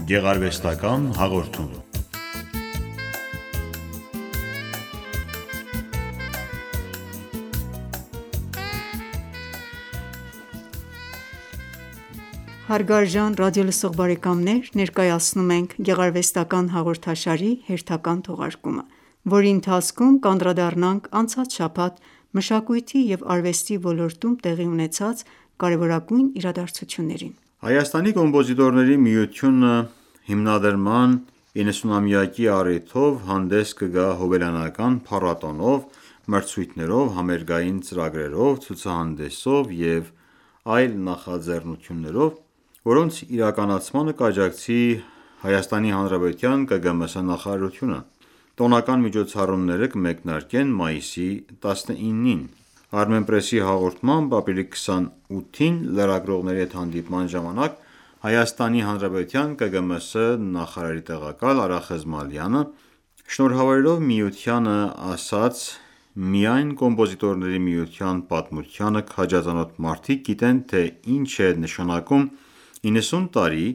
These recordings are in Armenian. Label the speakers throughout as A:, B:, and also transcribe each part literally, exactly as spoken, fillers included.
A: Գեղարվեստական հաղորդում։
B: Հարգարժան ռադիոլսող բարեկամներ, ներկայացնում ենք գեղարվեստական հաղորդաշարի հերթական թողարկումը, որի ընթացքում կանդրադառնանք անցած շաբաթ մշակույթի և արվեստի ոլորտում տեղի ունեցած կարևորագույն իրադարձություններին։
A: Հայաստանի կոմպոզիտորների միությունը հիմնադրման իննսունամյակի առիթով հանդես կգա հոբելյանական փառատոնով, մրցույթներով, համերգային ծրագրերով, ցուցահանդեսով և այլ նախաձեռնություններով, որոնց իրականացմանը կաջակցի ՀՀ ԿԳՄՍ նախարարությունը։ Տոնական միջոցառումները կմեկնարկեն մայիսի տասնինին։ Armenpress-ի հաղորդմամբ ապրիլի քսանութին լրագրողների հետ հանդիպման ժամանակ ՀՀ ԿԳՄՍ նախարարի տեղակալ Արա Խզմալյանը շնորհավորելով միությանը ասաց. «Միայն կոմպոզիտորների միության պատմությանը քաջածանոթ մարդիկ գիտեն, թե ինչ է նշանակում իննսուն տարի,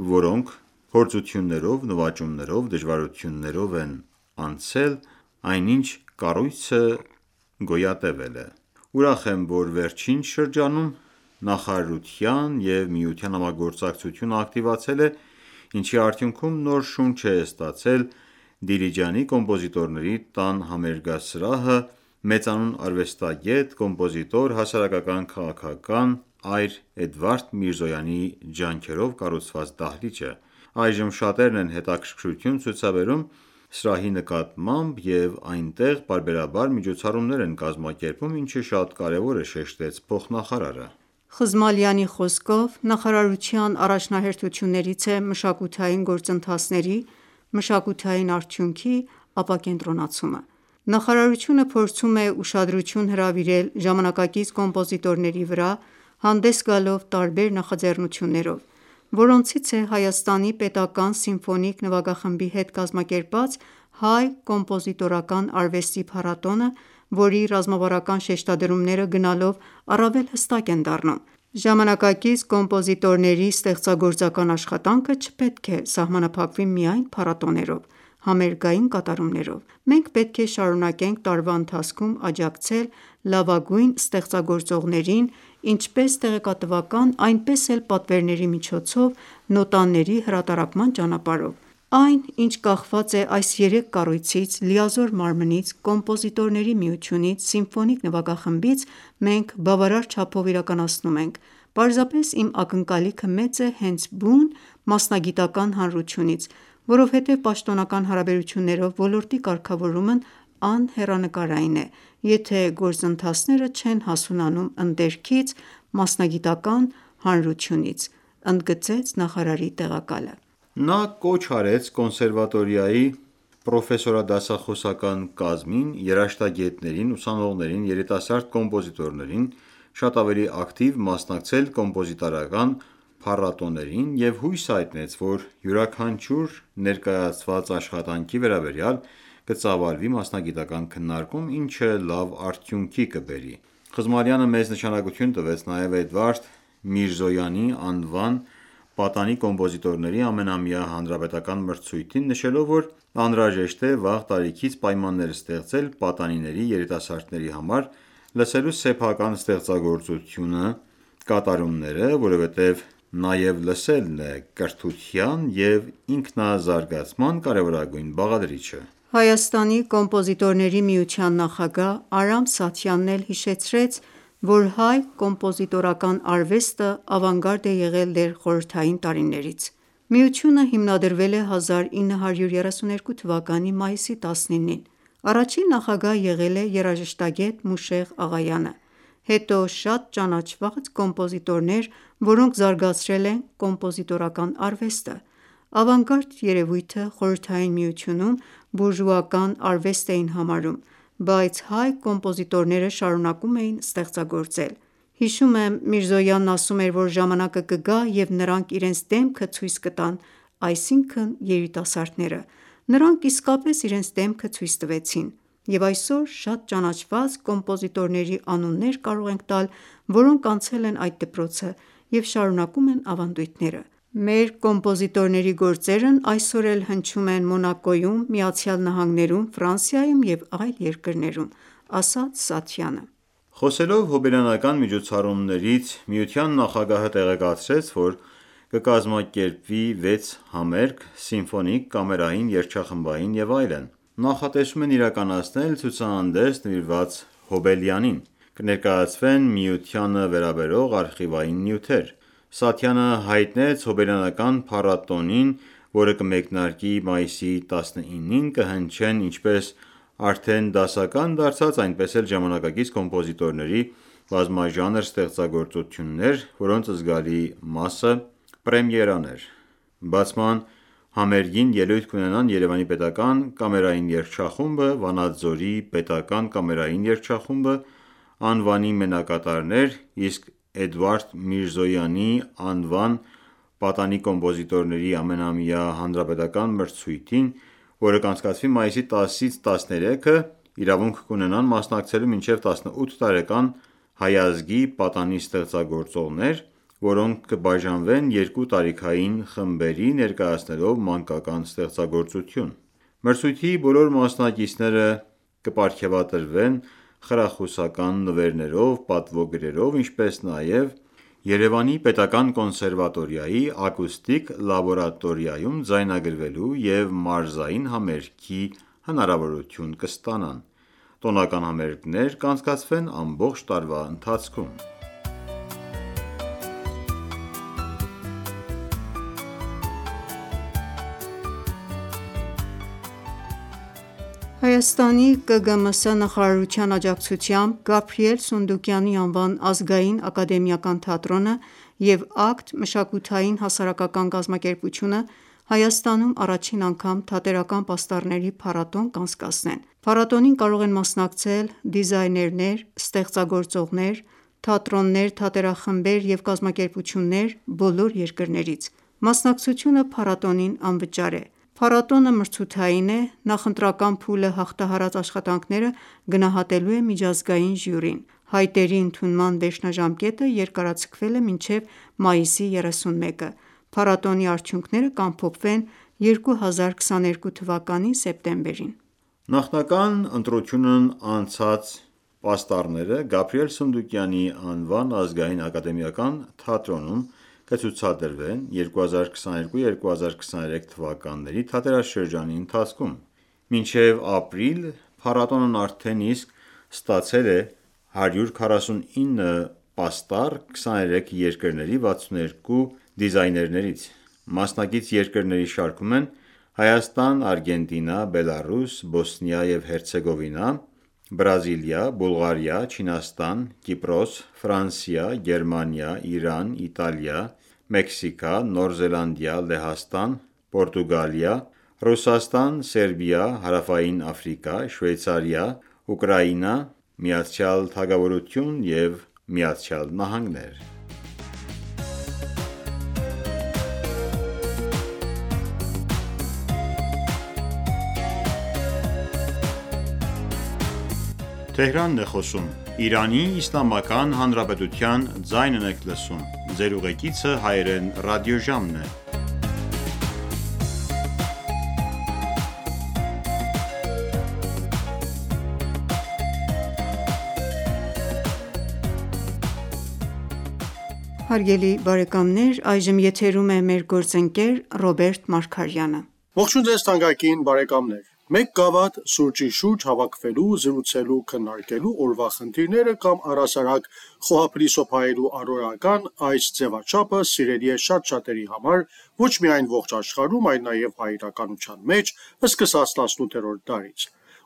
A: որոնք փորձություններով, նվաճումներով, դժվարություններով են անցել, այնինչ կառույցը գոյատևել է։ Ուրախ եմ, որ վերջին շրջանում նախարարության և միության համագործակցությունը ակտիվացել է, ինչի արդյունքում նոր շունչ է ստացել Դիլիջանի կոմպոզիտորների տան համերգասրահը, մեծանուն արվեստագետ, կոմպոզիտոր, հասարակական քաղաքական Այր Էդվարդ Միրզոյանի ջանքերով կառուցված դահլիճը։ Այժմ շատերն են հետաքրքրություն ցուցաբերում սրահի նկատմամբ և այնտեղ պարբերաբար միջոցառումներ են կազմակերպվում, ինչը շատ կարևոր է», շեշտեց փոխնախարարը։
B: Խզմալյանի խոսքով նախարարության առաջնահերթություններից է մշակութային գործընթացների, մշակութային արդյունքի ապակենտրոնացումը։ Նախարարությունը փորձում է ուշադրություն հրավիրել ժամանակակից կոմպոզիտորների վրա, հանդես գալով տարբեր նախաձեռնություններով, որոնցից է Հայաստանի պետական սիմֆոնիկ նվագախմբի հետ կազմակերպած հայ կոմպոզիտորական արվեստի փառատոնը, որի ռազմավարական շեշտադրումները գնալով առավել հստակ են դառնում։ Ժամանակակից կոմպոզիտորների ստեղծագործական աշխատանքը չպետք է սահմանափակվի միայն փառատոներով, համերգային կատարումներով։ Մենք պետք է շարունակենք տարվա ընթացքում աջակցել լավագույն ստեղծագործողներին ինչպես տեղեկատվական, այնպես էլ պատվերների միջոցով նոտաների հրատարակման ճանապարհով։ Այն, ինչ կախված է այս երեք կառույցից՝ լիազոր մարմնից, կոմպոզիտորների միությունից, սիմֆոնիկ նվագախմբից, մենք բավարար չափով իրականացնում ենք։ Պարզապես իմ ակնկալիքը մեծ է հենց բուն մասնագիտական հանրությունից, որովհետև պաշտոնական հարաբերություններով ոլորտի կարգավորումն անհեռանկարային է, եթե գործընթացները չեն հասունանում ընդերքից, մասնագիտական հանրությունից», ընդգծեց նախարարի տեղակալը։
A: Նա կոչ արեց կոնսերվատորիայի պրոֆեսորադասախոսական կազմին, երաժշտագետներին, ուսանողներին, երիտասարդ կոմպոզիտորներին շատ ավելի ակտիվ մասնակցել կոմպոզիտորական փառատոներին և հույս հայտնեց, որ յուրաքանչյուր ներկայացված աշխատանքի վերաբերյալ կծավալվի մասնագիտական քննարկում, ինչը լավ արդյունքի կբերի։ Խզմալյանը մեծ նշանակություն տվեց նաև Էդվարդ Միրզոյանի անվան պատանի կոմպոզիտորների ամենամյա հանրապետական մրցույթին, նշելով, որ անհրաժեշտ է վաղ տարիքից պայմաններ ստեղծել պատանիների երիտասարդների համար լսելու սեփական ստեղծագործությունը, կատարումները, որովհետև նաև լսելն է կրթության և ինքնազարգացման կարևորագույն բաղադրիչը։
B: Հայաստանի կոմպոզիտորների միության նախագահ Արամ Սաթյանն էլ հիշեցրեց, որ հայ կոմպոզիտորական արվեստը ավանգարդ է եղել դեռ խորհրդային տարիներից։ Միությունը հիմնադրվել է հազար ինը հարյուր երեսուներկու թվականի մայիսի տասնինին։ Առաջին նախագահ եղել է երաժշտագետ Մուշեղ Աղայանը, հետո շատ ճանաչված կոմպոզիտորներ, որոնք զարգացրել են կոմպոզիտորական արվեստը։ Ավանգարդ երևույթը Խորհրդային Միությունում բուրժուական արվեստ էին համարում, բայց հայ կոմպոզիտորները շարունակում էին ստեղծագործել։ Հիշում եմ, Միրզոյանն ասում էր, որ ժամանակը կգա, և նրանք իրենց դեմքը ցույց կտան, այսինքն՝ երիտասարդները։ Նրանք իսկապես իրենց դեմքը ցույց տվեցին, և այսօր շատ ճանաչված կոմպոզիտորների անուններ կարող ենք տալ, որոնք անցել են այդ դպրոցը և շարունակում են ավանդույթները։ Մեր կոմպոզիտորների գործերն այսօր էլ հնչում են Մոնակոյում, ԱՄՆ-ում, Ֆրանսիայում և այլ երկրներում, ասաց Սաթյանը:
A: Խոսելով հոբելյանական միջոցառումներից, Միության նախագահը տեղեկացրեց, որ կկազմակերպվի վեց համերգ, սիմֆոնիկ, կամերային, երգչախմբային և այլն: Նախատեսում են իրականացնել ցուցահանդես նվիրված Հոբելյանին: Կներկայացվեն Միությանը վերաբերող արխիվային նյութեր: Սաթյանը հայտնեց հոբելյանական փառատոնին, որը կմեկնարկի մայիսի տասնինին, կհնչեն ինչպես արդեն դասական դարձած, այնպես էլ ժամանակակից կոմպոզիտորների բազմաժանր ստեղծագործություններ, որոնց զգալի մասը պրեմիերան էր: Բացման համերգին ելույթ կունենան Երևանի պետական կամերային երգչախումբը, Վանաձորի պետական կամերային երգչախումբը, անվանի մենակատարներ, իսկ Էդուարդ Միրզոյանի անվան պատանի կոմպոզիտորների ամենամյա հանրապետական մրցույթին, որը կանցկացվի մայիսի տասից տասներեքը, իրավունք կունենան մասնակցելու մինչև տասնութ տարեկան հայազգի պատանի ստեղծագործողներ, որոնք կբաժանվեն երկու տարիքային խմբերի, ներկայացնելով մանկական ստեղծագործություն: Մրցույթի բոլոր մասնակիցները կպարգևատրվեն խրախուսական նվերներով, պատվոգրերով, ինչպես նաև Երևանի պետական կոնսերվատորիայի ակուստիկ լաբորատորիայում ձայնագրվելու և մարզային համերգի հնարավորություն կստանան: Տոնական համերգներ կանցկացվեն ամբողջ տարվա ընթացքում:
B: Հայաստանի Կը Գ Մ Ս նախարարության աջակցությամբ Գաբրիել Սունդուկյանի անվան ազգային ակադեմիական թատրոնը և «Ակտ» մշակութային հասարակական կազմակերպությունը Հայաստանում առաջին անգամ թատերական պաստառների փառատոն կանցկացնեն: Փառատոնին կարող են մասնակցել դիզայներներ, ստեղծագործողներ, թատրոններ, թատերախմբեր և կազմակերպություններ բոլոր երկրներից: Մասնակցությունը փառատոնին անվճար է: Փառատոնը մրցութային է, նախընտրական փուլը հաղթահարած աշխատանքները գնահատելու է միջազգային ժյուրին: Հայտերի ընդունման վերջնաժամկետը երկարաձգվել է մինչև մայիսի երեսունմեկը: Փառատոնի արդյունքները կամփոփվեն երկու հազար քսաներկու թվականի սեպտեմբերին:
A: Նախնական ընտրությունն անցած պաստառները Գաբրիել Սունդուկյանի անվան ազգային ակադեմիական թատրոնում կցուցադրվեն երկու հազար քսաներկու - երկու հազար քսաներեք թվականների թատերաշրջանի ընթացքում: Մինչև ապրիլ փառատոնն արդեն իսկ ստացել է հարյուր քառասունինը պաստառ քսաներեք երկրների վաթսունութ երկու դիզայներներից: Մասնակից երկրների շարքում են Հայաստան, Արգենտինա, Բելառուս, Բոսնիա և Հերցեգովինա, Բրազիլիա, Բուլղարիա, Չինաստան, Կիպրոս, Ֆրանսիա, Գերմանիա, Իրան, Իտալիա, Մեքսիկա, Նոր Զելանդիա, Լեհաստան, Պորտուգալիա, Ռուսաստան, Սերբիա, Հարավային Աֆրիկա, Շվեյցարիա, Ուկրաինա, Միացյալ Թագավորություն և Միացյալ Նահանգներ:
B: Հարգելի բարեկամներ այժմ եթերում է մեր գործընկեր Ռոբերտ Մարգարյանը:
C: Ողջույն ձեզ թանկագին բարեկամներ: Մեկ գավաթ սուրճի շուրջ հավաքվելու, զրուցելու, քննարկելու օրվա խնդիրները կամ առհասարակ խոհափլիսոփ հայելու առօրեական այս ձևաչափը սիրելի է շատ շատերի համար ոչ միայն ողջ աշխարհում, այլ նաև հայ իրականության մեջ սկսած տասնութերորդ դարից: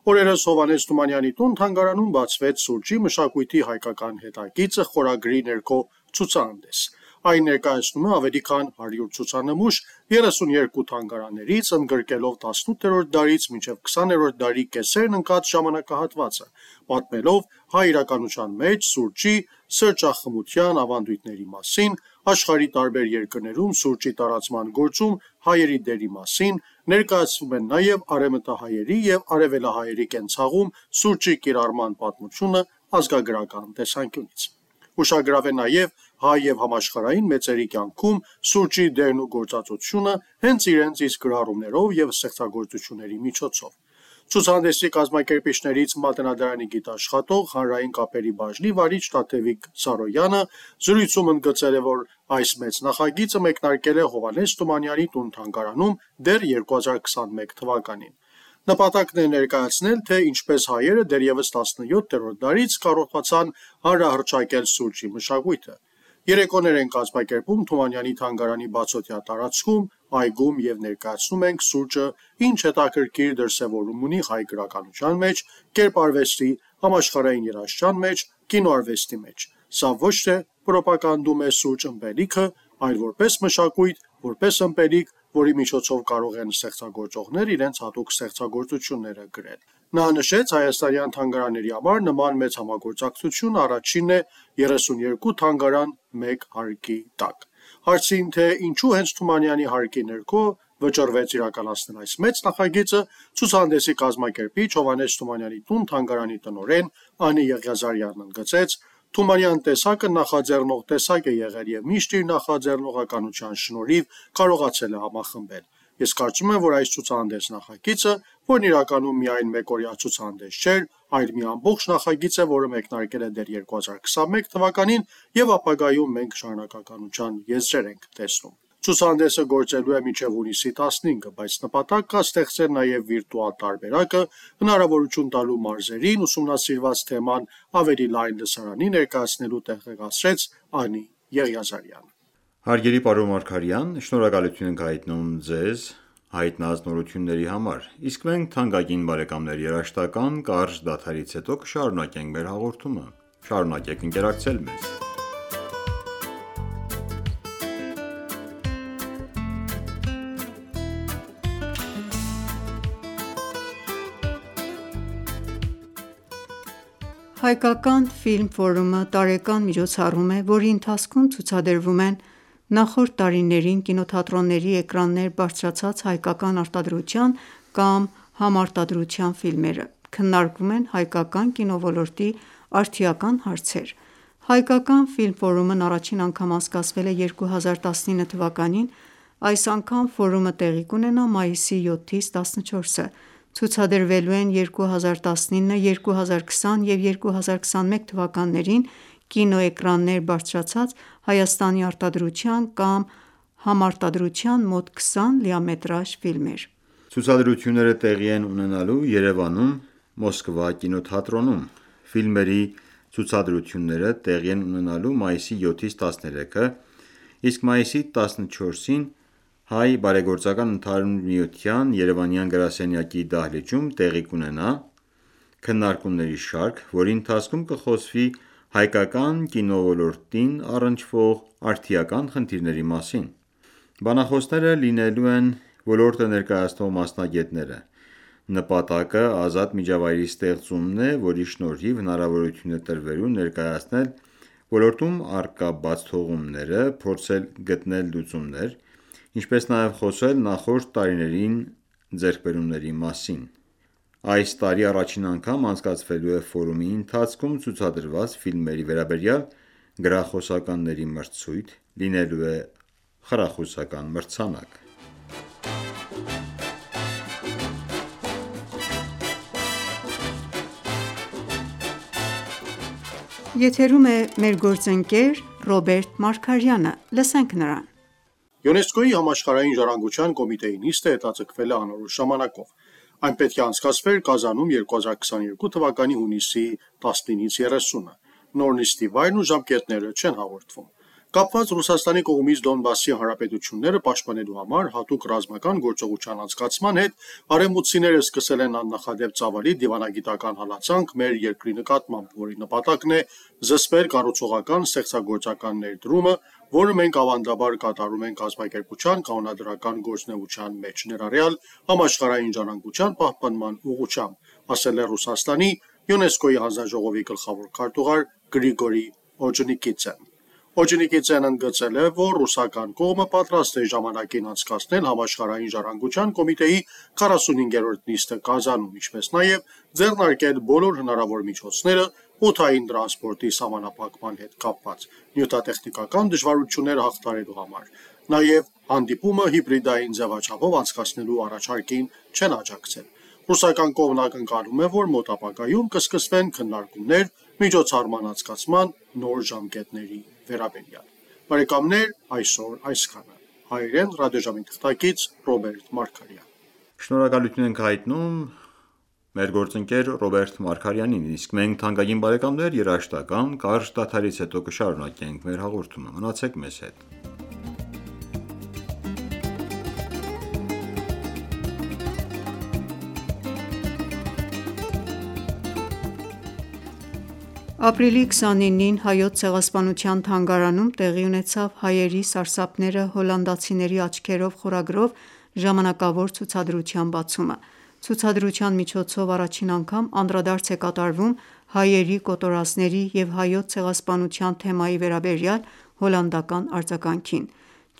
C: Օրերս Հովհաննես Թումանյանի տուն-թանգարանում բացվեց «Սուրճի մշակույթի հայկական հետագիծը» խորագրի ներքո ցուցահանդես: Այն ներկայացնում է ավելի քան հարյուր ցուցանմուշ երեսունյերկու թանգարաններից, ընդգրկելով տասնութերորդ դարից մինչև քսաներորդ դարի կեսերն ընկած ժամանակահատվածը, պատմելով հայ իրականության մեջ սուրճի սրճախմության ավանդույթների մասին, աշխարհի տարբեր երկրներում սուրճի տարածման գործում հայերի դերի մասին, ներկայացվում են նաև արևմտահայերի և արևելահայերի կենցաղում սուրճի կիրառման պատմությունը ազգագրական տեսանկյունից: ուշագրավ է նաև հայ և համաշխարհային մեծերի կյանքում սուրճի դերն ու գործածությունը հենց իրենց իսկ գրառումներով և ստեղծագործությունների միջոցով։ Ցուցահանդեսի կազմակերպիչներից Մատենադարանի գիտաշխատող, հանրային կապերի բաժնի վարիչ Տաթևիկ Սարոյանը զրույցում ընդգծել է, որ այս մեծ նախագիծը մեկնարկել է Հովհաննես Թումանյանի տուն-թանգարանում դեռ երկու հազար քսաներկու թվականին։ Նպատակն է ներկայացնել, թե ինչպես հայերը դեռևս տասնյոթերորդ դարից կարողացան հանրահռչակել սուրճի մշակույթը։ Երեկոներ են կազմակերպում Թումանյանի թանգարանի բացօթյա տարածքում, այգում և ներկայացնում ենք սուրճը ինչ հետաքրքիր դրսևորում ունի հայ գրականության մեջ, կերպարվեստի, համաշխարհային երաժշտության մեջ, կինոարվեստի մեջ։ Սա ոչ թե պրոպագանդում է սուրճ ըմպելիքը, այլ որպես մշակույթ, որպես ըմպելիք, որի միջոցով կարող են ստեղծագործողները իրենց հատուկ ստեղծագործությունները գրել։ Նա նշեց, հայաստանյան թանգարանների համար նման մեծ համագործակցությունը առաջինն է երեսունյոթ թանգարան մեկ հարկի տակ։ Հարցին, թե ինչու հենց Թումանյանի հարկի ներքո վճռվեց իրականացնել այս մեծ նախագիծը, ցուցահանդեսի կազմակերպիչ Հովհաննես Թումանյանի տուն-թանգարանի տնօրեն Անի Եղիազարյանն ընդգծեց. Թումանյան տեսակը նախաձեռնող տեսակ է եղել և միշտ իր նախաձեռնողականության շնորհիվ կարողացել է համախմբել։ Ես կարծում եմ, որ այս ցուցահանդես նախագիծը, որն իրականում միայն մեկօրյա ցուցահանդես չէր, այլ մի ամբողջ նախագիծ է, որը մեկնարկել է դեռ երկու հազար քսաներկու թվականին և ապագայում մենք շարունակականության եզրեր ենք տեսնում։ Ցուցահանդեսը գործելու է մինչև հունիսի տասնինը, բայց նպատակ կա ստեղծել նաև վիրտուալ տարբերակը, հնարավորություն տալու մարզերին ուսումնասիրված թեման ավելի լայն լսարանի ներկայացնելու տեղեկացրեց Անի Եղիազարյանը։
A: Հարգելի պարոն Մարգարյան, շնորհակալություն ենք հայտնում ձեզ հայտնած նորությունների համար, իսկ մենք թանկագին բարեկամներ երաժշտական կարճ դադարից հետո կշարունակենք մեր հաղորդումը։ Շարունակեք ընկերակցել մեզ։
B: Հայկական ֆիլմ ֆորումը տարեկան միջոցառում է, որի ընթացքում ցուցադրվում են նախորդ տարիներին կինոթատրոնների էկրաններ բարձրացած հայկական արտադրության կամ համարտադրության ֆիլմերը, քննարկվում են հայկական կինոլորոտի արդիական հարցեր։ Հայկական ֆիլմ ֆորումն առաջին անգամ անցկացվել է երկու հազար տասնինը թվականին, այս անգամ ֆորումը տեղի կունենա մայիսի յոթից տասնչորսը։ Ցուցադրվելու են երկու հազար տասնինը, երկու հազար քսան և երկու հազար քսաներկու թվականներին կինոէկրաններ բարձրացած Հայաստանի արտադրության կամ համարտադրության մոտ քսան լիամետրաժ ֆիլմեր։
A: Ցուցադրությունները տեղի են ունենալու Երևանում Մոսկվա կինոթատրոնում։ Ֆիլմերի ցուցադրությունները տեղի են ունենալու մայիսի յոթից տասներեքը, իսկ մայիսի տասնչորսին Հայ բարեգործական ընդհանուր միության երևանյան գրասենյակի դահլիճում տեղի կունենա քննարկումների շարք, որի ընթացքում կխոսվի հայկական կինոլորտին առնչվող արդիական խնդիրների մասին։ Բանախոսները լինելու են ոլորտը ներկայացնող մասնագետները։ Նպատակը ազատ միջավայրի ստեղծումն է, որի շնորհիվ հնարավորություն է տրվելու ներկայացնել ոլորտում առկա բացթողումները, փորձել գտնել լուծումներ, ինչպես նաև խոսել նախորդ տարիներին ձեռքբերումների մասին։ Այս տարի առաջին անգամ անցկացվելու է ֆորումի ընթացքում ցուցադրված ֆիլմերի վերաբերյալ գրախոսականների մրցույթ, լինելու է խրախուսական մրցանակ։
B: Եթերում է մեր գործընկեր Ռոբերտ Մարգարյանը։ Լսենք նրան։
C: ՅՈՒՆԵՍԿՕ-ի համաշխարհային ժառանգության կոմիտեի նիստը հետաձգվել է անորոշ ժամանակով։ Այն պետք է անցկացվեր Կազանում երկու հազար քսաներկու թվականի հունիսի տասնինից երեսունը։ Նոր նիստի վայրն ու ժամկետները չեն հաղորդվում։ Կապված Ռուսաստանի կողմից Դոնբասի հանրապետությունները պաշտպանելու համար հատուկ ռազմական գործողության անցկացման հետ արևմուտքցիները սկսել են աննախադեպ ծավալի դիվանագիտական հալածանք մեր երկրի նկատմամբ, որի նպատակն է զսպել կառուցողական ստեղծագործական ներդրումը, որը մենք ավանդաբար կատարում ենք կազմակերպության կանոնադրական գործունեության մեջ, ներառյալ համաշխարհային ժառանգության պահպանման ուղղությամբ, ասել է Ռուսաստանի ՅՈՒՆԵՍԿՕ-ի հանձնաժողովի գլխավոր քարտուղար Գրիգորի Օջենիկիցեն։ Օջենիկիցեն ընդգծել է, որ ռուսական կողմը պատրաստ է ժամանակին անցկացնել համաշխարհային ժառանգության կոմիտեի քառասունհինգերորդ նիստը Կազանում, ինչպես նաև ձեռնարկել բոլոր հնարավոր միջոցները օդային տրանսպորտի սահմանափակման հետ կապված նյութատեխնիկական դժվարությունները հաղթահարելու համար։ Նաև հանդիպումը հիբրիդային ձևաչափով անցկացնելու առաջարկին չեն աջակցել։ Ռուսական կողմն ակնկալում է, որ մոտ ապագայում կսկսվեն քննարկումներ միջոցառման անցկացման նոր ժամկետների վերաբերյալ։ Բարեկամներ, այսօր այսքանը։ Հայերեն ռադիոժամի թղթակից Ռոբերտ Մարգարյան։
A: Շնորհակալություն ենք հայտնում մեր գործընկեր Ռոբերտ Մարգարյանին, իսկ մենք թանկագին բարեկամներ երաժշտական կարճ դադարից հետո կշարունակենք մեր հաղորդումը։ Մնացեք մեզ հետ։
B: Ապրիլի քսանինին Հայոց ցեղասպանության թանգարանում տեղի ունեցավ «Հայերի սարսափները հոլանդացիների աչքերով» խորագրով ժամանակավոր ցուցադրության բացումը։ Ցուցադրության միջոցով առաջին անգամ անդրադարձ է կատարվում հայերի կոտորածների և Հայոց ցեղասպանության թեմայի վերաբերյալ հոլանդական արձագանքին։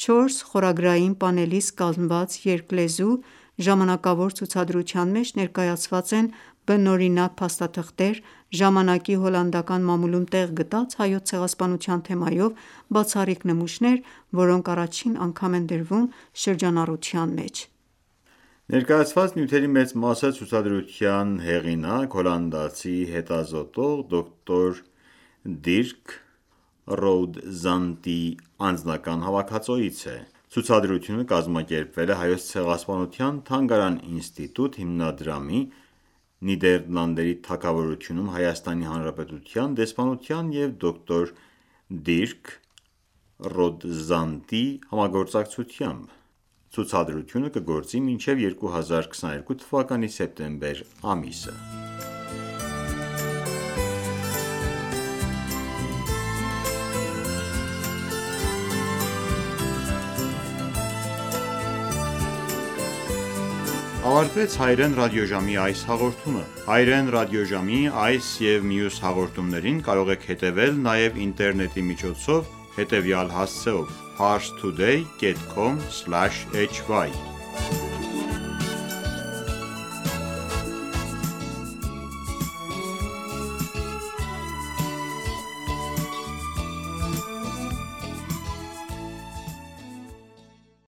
B: Չորս խորագրային պանելից կազմված երկլեզու ժամանակավոր ցուցադրության մեջ ներկայացված են բնօրինակ փաստաթղթեր, ժամանակի հոլանդական մամուլում տեղ գտած Հայոց ցեղասպանության թեմայով բացառիկ նմուշներ, որոնք առաջին անգամ են դրվում շրջանառության մեջ։
A: Ներկայացված նյութերի մեծ մասը ցուցադրության հեղինակ, հոլանդացի հետազոտող դոկտոր Դիրք Ռոուդզանդտի անձնական հավաքածոից է։ Ցուցադրությունը կազմակերպվել է Հայոց ցեղասպանության թանգարան ինստիտուտ հիմնադրամի, Նիդերլանդների թագավորությունում Հայաստանի Հանրապետության դեսպանության և դոկտոր Դիրք Ռոդզանդտի համագործակցությամբ։ Ցուցադրությունը կգործի մինչև երկու հազար քսաներկու թվականի սեպտեմբեր ամիսը։ Ավարտվեց հայերեն ռադիոժամի այս հաղորդումը։ Հայերեն ռադիոժամի այս և մյուս հաղորդումներին կարող եք հետևել նաև ինտերնետի միջոցով հետևյալ հասցեով՝ parstoday dot com slash h y